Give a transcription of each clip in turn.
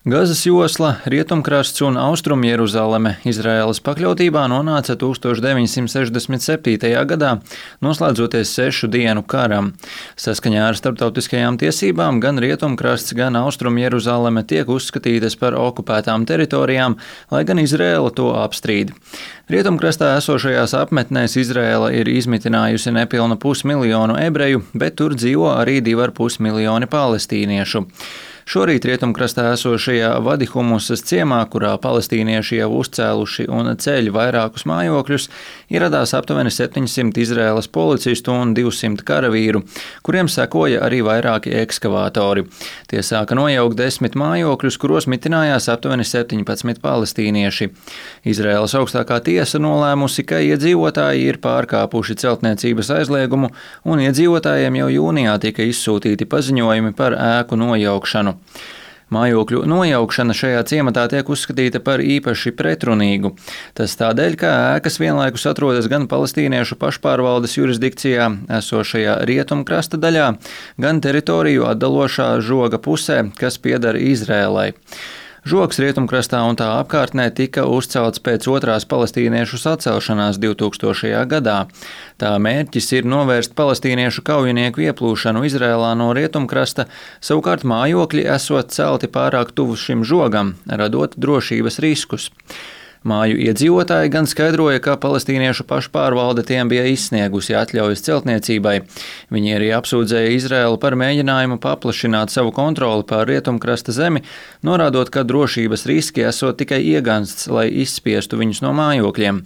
Gazas josla, Rietumkrasts un Austrumjeruzaleme Izraēlas pakļautībā nonāca 1967. gadā, noslēdzoties 6 dienu karam. Saskaņā ar starptautiskajām tiesībām gan Rietumkrasts, gan Austrumjeruzaleme tiek uzskatītas par okupētām teritorijām, lai gan Izraēla to apstrīd. Rietumkrastā esošajās apmetnēs Izraēla ir izmitinājusi nepilnu 500 000 ebreju, bet tur dzīvo arī 2,5 miljoni palestīniešu. Šorīt Rietumkrastā esošajā Vadihumusas ciemā, kurā palestīnieši jau uzcēluši un ceļ vairākus mājokļus, ieradās aptuveni 700 Izraēlas policistu un 200 karavīru, kuriem sekoja arī vairāki ekskavātori. Tie sāka nojaukt 10 mājokļus, kuros mitinājās aptuveni 17 palestīnieši. Izraēlas augstākā tiesa nolēmusi, ka iedzīvotāji ir pārkāpuši celtniecības aizliegumu, un iedzīvotājiem jau jūnijā tika izsūtīti paziņojumi par ēku nojaukšanu. Mājokļu nojaukšana šajā ciematā tiek uzskatīta par īpaši pretrunīgu. Tas tādēļ, ka ēkas vienlaikus atrodas gan palestīniešu pašpārvaldes jurisdikcijā esošajā Rietumkrasta daļā, gan teritoriju atdalošā žoga pusē, kas pieder Izrēlai. Žogs Rietumkrastā un tā apkārtnē tika uzcelts pēc otrās palestīniešu sacelšanās 2000. gadā. Tā mērķis ir novērst palestīniešu kaujinieku ieplūšanu Izrēlā no Rietumkrasta, savukārt mājokļi esot celti pārāk tuvu šim žogam, radot drošības riskus. Māju iedzīvotāji gan skaidroja, ka palestīniešu pašpārvalde tiem bija izsniegusi atļaujas celtniecībai. Viņi arī apsūdzēja Izraēlu par mēģinājumu paplašināt savu kontroli pār Rietumkrasta zemi, norādot, ka drošības riski esot tikai iegansts, lai izspiestu viņus no mājokļiem.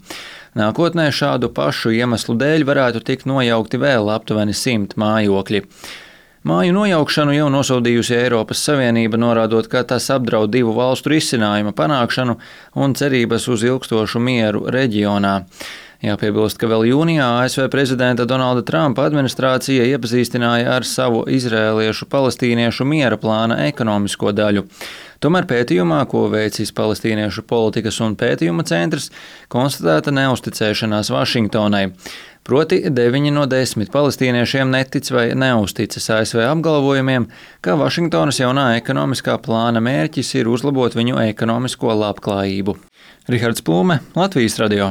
Nākotnē šādu pašu iemeslu dēļ varētu tikt nojaukti vēl aptuveni 100 mājokļi. Māju nojaukšanu jau nosodījusi Eiropas Savienība, norādot, ka tas apdraud divu valstu risinājuma panākšanu un cerības uz ilgstošu mieru reģionā. Jāpiebilst, ka vēl jūnijā ASV prezidenta Donalda Trumpa administrācija iepazīstināja ar savu izrēliešu palestīniešu miera plāna ekonomisko daļu. Tomēr pētījumā, ko veicis Palestīniešu politikas un pētījuma centrs, konstatēta neusticēšanās Vašingtonai. Proti 9 no 10 palestīniešiem netic vai neusticas ASV apgalvojumiem, ka Vašingtonas jaunā ekonomiskā plāna mērķis ir uzlabot viņu ekonomisko labklājību. Rihards Plūme, Latvijas radio.